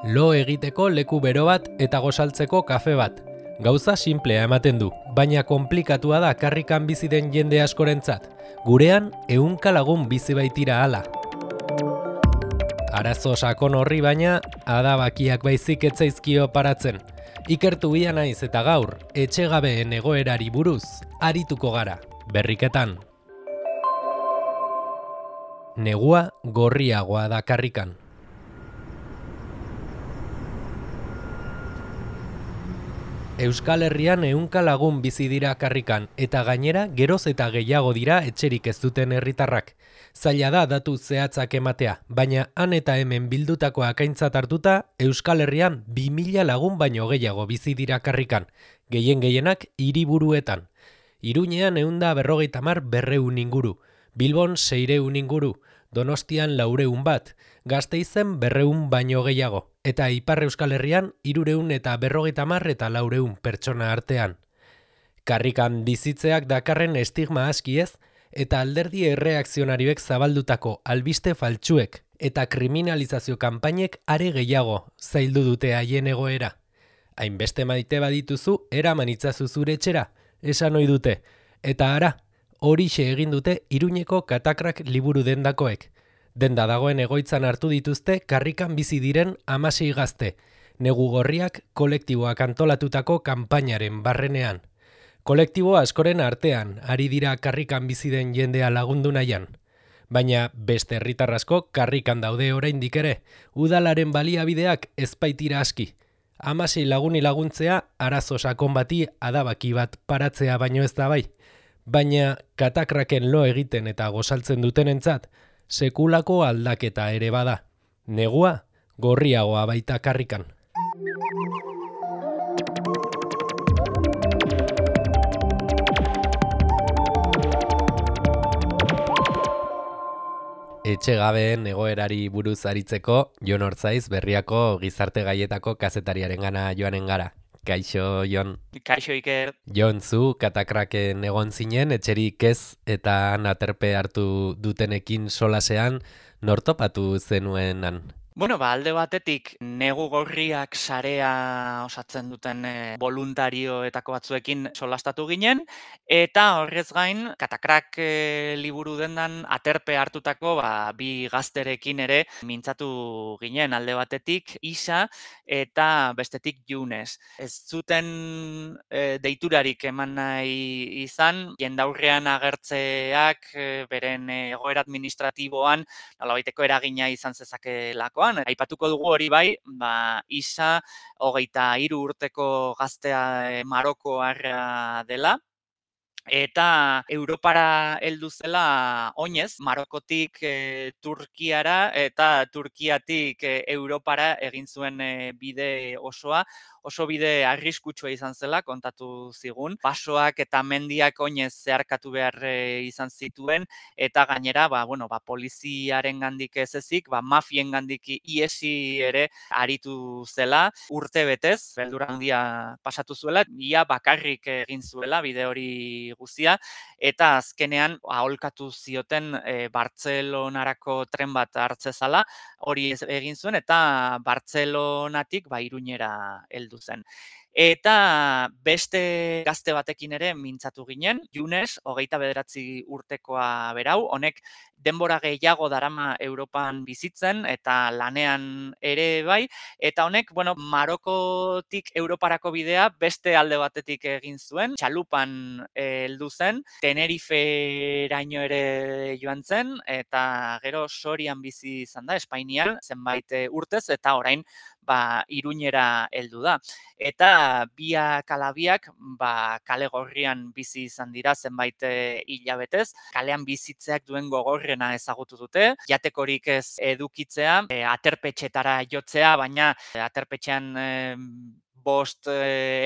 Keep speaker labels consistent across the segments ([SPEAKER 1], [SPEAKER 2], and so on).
[SPEAKER 1] Lo egiteko leku bero bat eta gosaltzeko kafe bat. Gauza simplea ematen du, baina konplikatua da karrikan bizi den jende askorentzat. Gurean, 100 lagun bizi baitira hala. Arazo sakon horri baina, adabakiak baizik etzaizkio paratzen. Ikertu bia naiz eta gaur, etxegabeen egoerari buruz, arituko gara, berriketan. Negua gorriagoa da karrikan. Euskal Herrian 100 lagun bizi dira karrikan, eta gainera geroz eta gehiago dira etxerik ez duten herritarrak. Zaila da datu zehatzak ematea, baina han eta hemen bildutakoak aintzat hartuta, Euskal Herrian 2000 lagun baino gehiago bizi dira karrikan, gehienak hiriburuetan. Iruñean 150 inguru, Bilbon 600 inguru, Donostian 400 bat, Gasteizen 200 baino gehiago, eta Ipar Euskal Herrian 350 eta 400 pertsona artean. Karrikan bizitzeak dakarren estigma aski ez, eta alderdi erreakzionarioek zabaldutako albiste faltsuek eta kriminalizazio kanpainek are gehiago zaildu dute haien egoera. Hainbeste maite badituzu, eraman itzazu zure etxera, esan ohi dute, eta ara, horixe egin dute Iruñeko Katakrak liburu dendakoek. Denda dagoen egoitzan hartu dituzte karrikan bizi diren 16 gazte, negu gorriak kolektiboak antolatutako kanpainaren barrenean. Kolektibo askoren artean, ari dira karrikan bizi den jendea lagundu nahian. Baina beste herritar asko karrikan daude oraindik ere, udalaren baliabideak ez baitira aski. 16 laguni laguntzea arazo sakon bati adabaki bat paratzea baino ez da bai. Baina Katakraken lo egiten eta gosaltzen dutenentzat, sekulako aldaketa ere bada. Negua gorriagoa baita karrikan. Etxegabeen egoerari buruz aritzeko, Jon Ortzaiz Berriako gizarte gaietako kazetariarengana joanen gara. Kaixo, Jon.
[SPEAKER 2] Kaixo, Iker.
[SPEAKER 1] Jon, zu Katakraken egon zinen, etxerik ez eta aterpe hartu dutenekin solasean, nortopatu zenuenan?
[SPEAKER 2] Bueno, alde batetik negu gorriak sarea osatzen duten voluntarioetako batzuekin solastatu ginen, eta horrez gain, Katakrak liburu dendan aterpe hartutako bi gazterekin ere mintzatu ginen, alde batetik Isa eta bestetik Junes. Ez zuten deiturarik eman nahi izan, jendaurrean agertzeak beren egoera administratiboan nolabaiteko eragina izan zezakeelakoan. Aipatuko dugu hori bai, Isa 23 urteko gaztea Marokoarra dela, eta Europara heldu zela oinez, Marokotik Turkiara eta Turkiatik Europara egin zuen bide osoa, oso bide arriskutsua izan zela, kontatu zigun. Basoak eta mendiak oinez zeharkatu behar izan zituen, eta gainera, poliziaren gandik ez ezik, mafien gandik iesi ere aritu zela, urte betez, beldurra handia pasatu zuela, ia bakarrik egin zuela bide hori guztia, eta azkenean aholkatu zioten Bartzelonarako tren bat hartzezala, hori egin zuen, eta Bartzelonatik Iruñera heldu zen. Eta beste gazte batekin ere mintzatu ginen, Junes, 29 urtekoa berau, honek denbora gehiago darama Europan bizitzen eta lanean ere bai, eta honek, Marokotik Europarako bidea beste alde batetik egin zuen, txalupan heldu zen, Teneriferaino ere joan zen, eta gero Sorian bizi izan da, Espainian, zenbait urtez, eta orain Iruñera heldu da. Eta biak ala biak kale gorrian bizi izan dira zenbait hilabetez, kalean bizitzeak duen gogorrena ezagutu dute, jatekorik ez edukitzea, aterpetxetara jotzea, baina aterpetxean 5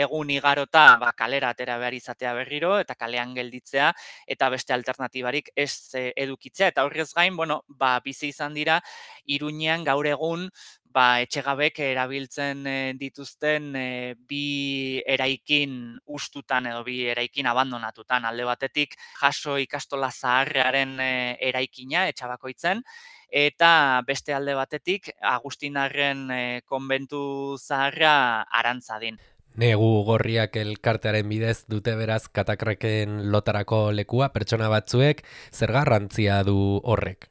[SPEAKER 2] egun igarota kalera atera behar izatea berriro, eta kalean gelditzea, eta beste alternatibarik ez edukitzea. Eta horrez gain, bizi izan dira, Iruñean gaur egun, etxegabek erabiltzen dituzten bi eraikin hustutan edo bi eraikin abandonatutan. Alde batetik, Jaso ikastola zaharrearen eraikina, Etxabakoitzen, eta beste alde batetik Agustinarren konbentu zaharra Arantzadin.
[SPEAKER 1] Negu gorriak elkartearen bidez dute beraz katakraken lotarako lekua pertsona batzuek, zer garrantzia du horrek?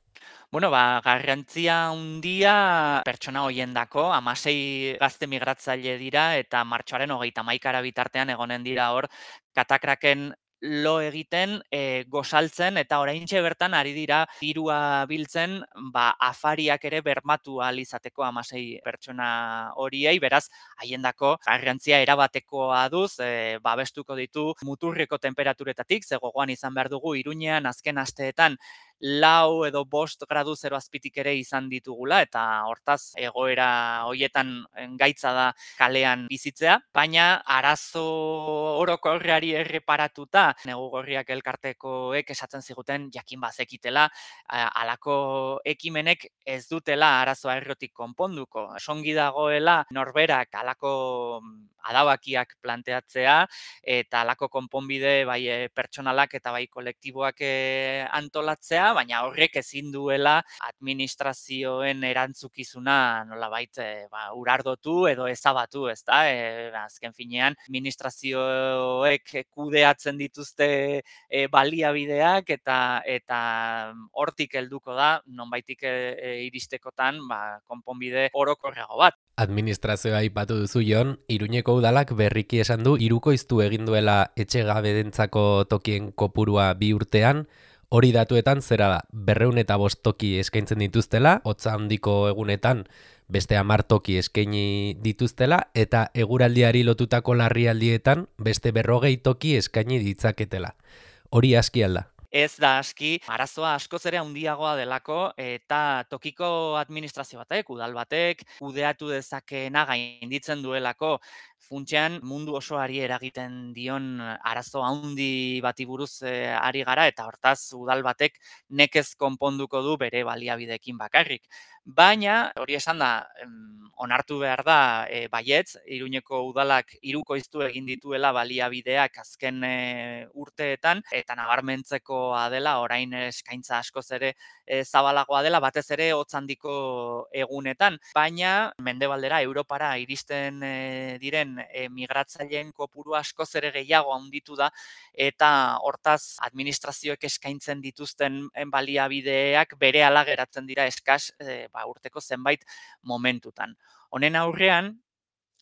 [SPEAKER 2] Bueno, garrantzia handia pertsona hoiendako, 16 gazte migratzaile dira eta martxoaren 31 bitartean egonen dira hor katakraken lo egiten, gosaltzen eta oraintxe bertan ari dira dirua biltzen, afariak ere bermatu ahal izateko 16 pertsona horiei, beraz haiendako garrantzia erabatekoa duz, babestuko ditu muturreko tenperaturetatik, ze gogoan izan behar dugu Iruñean azken asteetan 4 edo 5 gradu zero azpitik ere izan ditugula eta hortaz egoera hoietan gaitza da kalean bizitzea, baina arazo orokorrari erreparatuta negu gorriak elkartekoek esaten ziguten jakin bazekitela halako ekimenek ez dutela arazoa errotik konponduko. Songi dagoela norberak halako adabakiak planteatzea eta halako konponbide bai pertsonalak eta bai kolektiboak antolatzea, baina horrek ezin duela administrazioen erantzukizuna nolabait urardotu edo ezabatu, ezta? Azken finean administrazioek kudeatzen dituzte baliabideak eta hortik helduko da nonbaitik iristekotan konponbide orokorrago bat.
[SPEAKER 1] Administrazioa aipatu duzu Jon, Iruñeko udalak berriki esan du hirukoiztu egin duela etxegabedentzako tokien kopurua 2 urtean, hori datuetan zera da, 205 toki eskaintzen dituztela, hotza handiko egunetan beste 10 toki eskaini dituztela, eta eguraldiari lotutako larrialdietan beste 40 toki eskaini ditzaketela. Hori aski alda.
[SPEAKER 2] Ez da aski, arazoa askoz ere handiagoa delako eta tokiko administrazio batek, udal batek, kudeatu dezakeena gainditzen duelako. Funtsean mundu osoari eragiten dion arazo handi bati buruz ari gara eta hortaz udal batek nekez konponduko du bere baliabideekin bakarrik. Baina, hori esan da, onartu behar da baietz, Iruñeko udalak hirukoiztu egin dituela baliabideak azken urteetan eta nabarmentzekoa dela orain eskaintza askoz ere zabalagoa dela, batez ere hotz handiko egunetan, baina mendebaldera Europara iristen diren migratzaileen kopuru askoz ere gehiago handitu da eta hortaz administrazioek eskaintzen dituzten baliabideak berehala geratzen dira eskas urteko zenbait momentutan. Honen aurrean,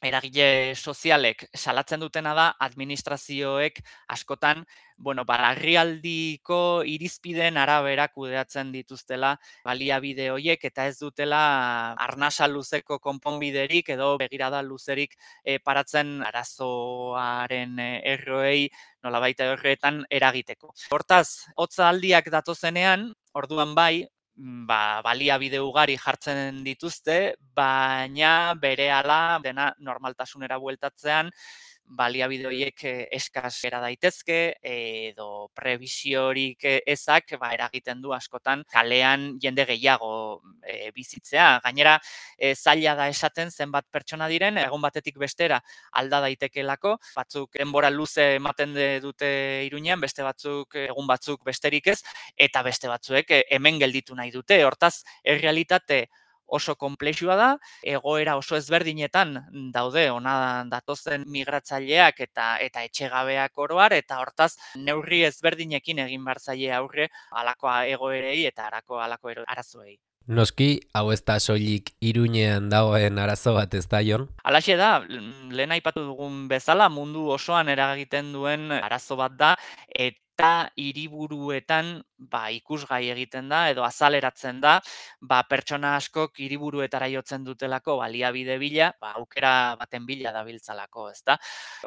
[SPEAKER 2] eragile sozialek salatzen dutena da administrazioek askotan, larrialdiko irizpideen arabera kudeatzen dituztela baliabide horiek eta ez dutela arnasa luzeko konponbiderik edo begirada luzerik paratzen arazoaren erroei nolabait horretan eragiteko. Hortaz, hotza aldiak datozenean, orduan bai, baliabide ugari jartzen dituzte, baina berehala dena normaltasunera bueltatzean baliabide horiek eskas gera daitezke edo prebisiorik ezak eragiten du askotan kalean jende gehiago bizitzea. Gainera, zaila da esaten zenbat pertsona diren, egun batetik bestera alda daitekelako, batzuk denbora luze ematen dute Iruñean, beste batzuk egun batzuk besterik ez, eta beste batzuek hemen gelditu nahi dute. Hortaz, errealitate oso konplexua da, egoera oso ezberdinetan daude ona datozen migratzaileak eta etxegabeak oroar, eta hortaz neurri ezberdinekin egin behar zaie aurre halako egoerei eta halako arazoei.
[SPEAKER 1] Noski, hau ez da soilik Iruñean dagoen arazo bat, ez da, Jon?
[SPEAKER 2] Halaxe da, lehen aipatu dugun bezala mundu osoan eragiten duen arazo bat da, eta hiriburuetan ikusgai egiten da edo azaleratzen da, pertsona askok hiriburuetara jotzen dutelako baliabide bila, aukera baten bila dabiltzalako, ezta?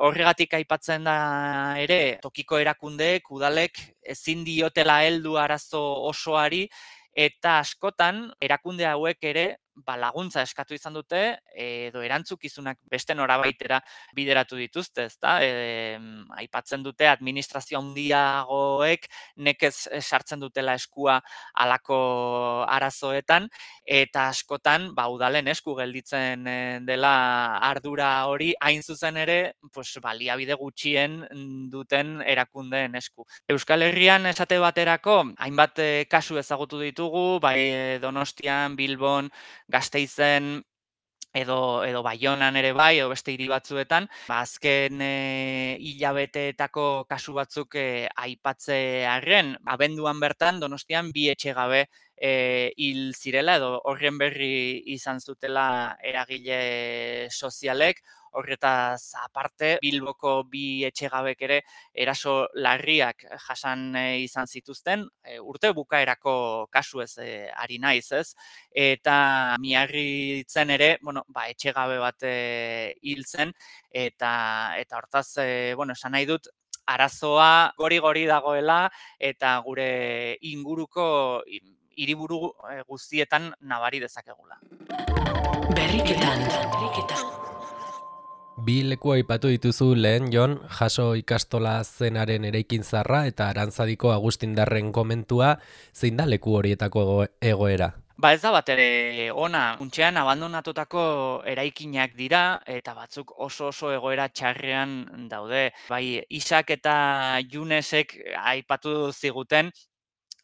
[SPEAKER 2] Horregatik aipatzen da ere tokiko erakundeek, udalek ezin diotela heldu arazo osoari, eta askotan erakunde hauek ere laguntza eskatu izan dute edo erantzukizunak beste norabaitera bideratu dituzte, ezta? Aipatzen dute administrazio handiagoek nekez sartzen dutela eskua halako arazoetan eta askotan udalen esku gelditzen dela ardura hori hain zuzen ere, baliabide gutxien duten erakundeen esku. Euskal Herrian esate baterako hainbat kasu ezagutu ditugu, bai Donostian, Bilbon, Gasteizen edo Baionan ere bai, edo beste hiri batzuetan, azken hilabeteetako kasu batzuk aipatzearren, abenduan bertan Donostian 2 etxegabe hil zirela edo horren berri izan zutela eragile sozialek. Horretaz aparte, Bilboko 2 etxegabek ere eraso larriak jasan izan zituzten, urte bukaerako kasu ez ari naiz, ez? Eta Miarritzen ere, etxegabe bat hil zen, eta hortaz, esan nahi dut, arazoa gori dagoela eta gure inguruko hiriburu guztietan nabari dezakegula.
[SPEAKER 3] Berriketan.
[SPEAKER 1] Bi leku aipatu dituzu lehen, Jon, Jaso ikastola zenaren eraikin zarra eta Arantzadiko Agustindarren komentua, zein da leku horietako egoera?
[SPEAKER 2] Ez da bat ere ona, funtsean abandonatutako eraikinak dira eta batzuk oso egoera txarrean daude. Bai, Isak eta Junesek aipatu ziguten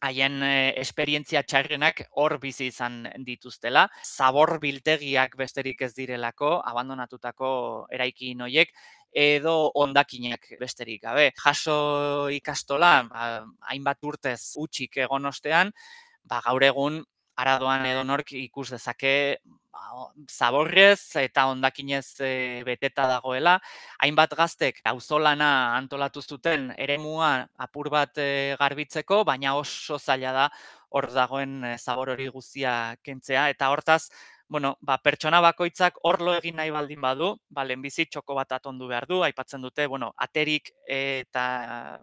[SPEAKER 2] haien esperientzia txarrenak hor bizi izan dituztela. Zabor biltegiak besterik ez direlako, abandonatutako eraikin horiek, edo hondakinak besterik gabe. Jaso ikastola, hainbat urtez hutsik egon ostean, gaur egun Aradoan edonork ikus dezake zaborrez eta hondakinez beteta dagoela. Hainbat gaztek auzolana antolatu zuten eremua apur bat garbitzeko, baina oso zaila da hor dagoen zabor hori guztia kentzea. Eta hortaz, pertsona bakoitzak hor lo egin nahi baldin badu, lehenbizi txoko bat atondu behar du, aipatzen dute, aterik eta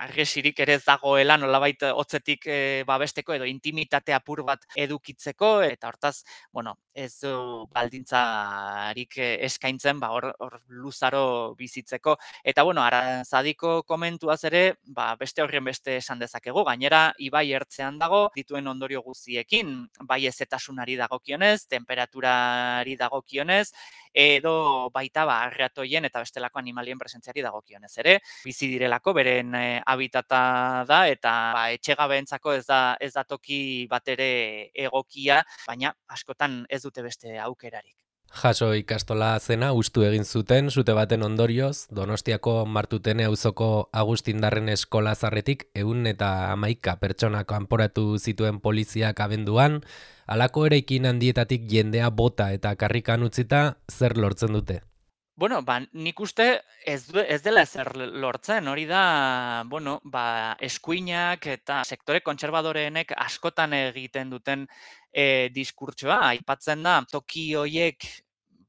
[SPEAKER 2] argesirik ere ez dagoela nolabait hotzetik babesteko edo intimitate apur bat edukitzeko, eta hortaz, ez du baldintzarik eskaintzen hor luzaro bizitzeko. Eta Arantzadiko komentuaz ere, beste horren beste esan dezakegu, gainera ibai ertzean dago, dituen ondorio guztiekin, bai hezetasunari dagokionez, temperaturari dagokionez, edo baita arratoien eta bestelako animalien presentziari dagokionez ere, bizi direlako beren habitata da eta etxegabeentzako ez da toki bat ere egokia, baina askotan ez dute beste aukerarik.
[SPEAKER 1] Jaso ikastola zena hustu egin zuten sute baten ondorioz, Donostiako Martutene auzoko Agustindarren eskola zarretik 111 pertsona kanporatu zituen poliziak abenduan, halako eraikin handietatik jendea bota eta karrikan utzita zer lortzen dute?
[SPEAKER 2] Nik uste ez dela ezer lortzen, hori da, eskuinak eta sektore kontserbadoreenek askotan egiten duten diskurtsoa. Aipatzen da, toki horiek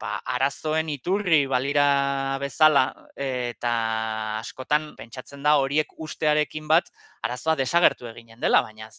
[SPEAKER 2] arazoen iturri balira bezala eta askotan pentsatzen da horiek ustearekin bat arazoa desagertu eginen dela, baina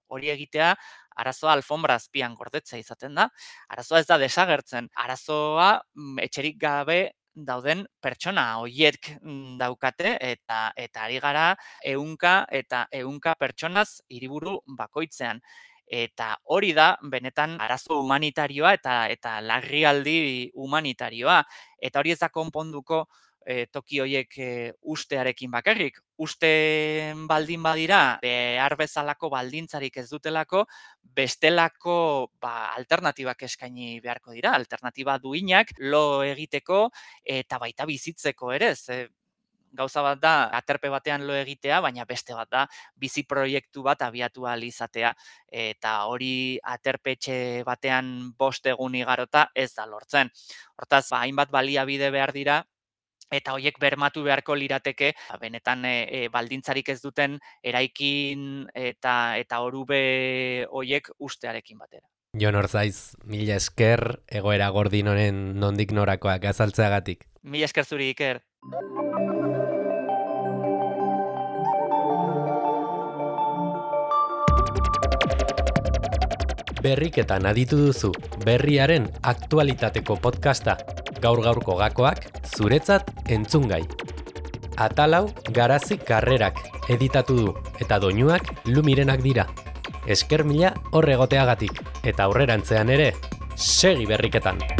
[SPEAKER 2] hori egitea arazoa alfombra azpian gordetzea izaten da. Arazoa ez da desagertzen. Arazoa etxerik gabe dauden pertsona horiek daukate eta ari gara 100 eta 100 pertsonaz hiriburu bakoitzean. Eta hori da benetan arazo humanitarioa eta larrialdi humanitarioa. Eta hori ez da konponduko toki horiek ustearekin bakarrik. Uste baldin badira, behar bezalako baldintzarik ez dutelako, bestelako alternatibak eskaini beharko dira. Alternatiba duinak lo egiteko eta baita bizitzeko ere. Gauza bat da, aterpe batean lo egitea, baina beste bat da, bizi proiektu bat abiatu ahal izatea. Eta hori aterpetxe batean 5 egun igarota ez da lortzen. Hortaz, hainbat baliabide behar dira, eta horiek bermatu beharko lirateke, benetan baldintzarik ez duten eraikin eta orube horiek ustearekin batera.
[SPEAKER 1] Jon Orzaiz, mila esker egoera gordin honen nondik norakoak azaltzeagatik.
[SPEAKER 2] Mila esker zuri, Iker.
[SPEAKER 1] Berriketan aditu duzu, berriaren aktualitateko podcasta. Gaur-gaurko gakoak, zuretzat entzungai. Atalau Garazi Karrerak editatu du, eta doinuak Lumirenak dira. Esker mila horregoteagatik, eta aurrerantzean ere, segi berriketan!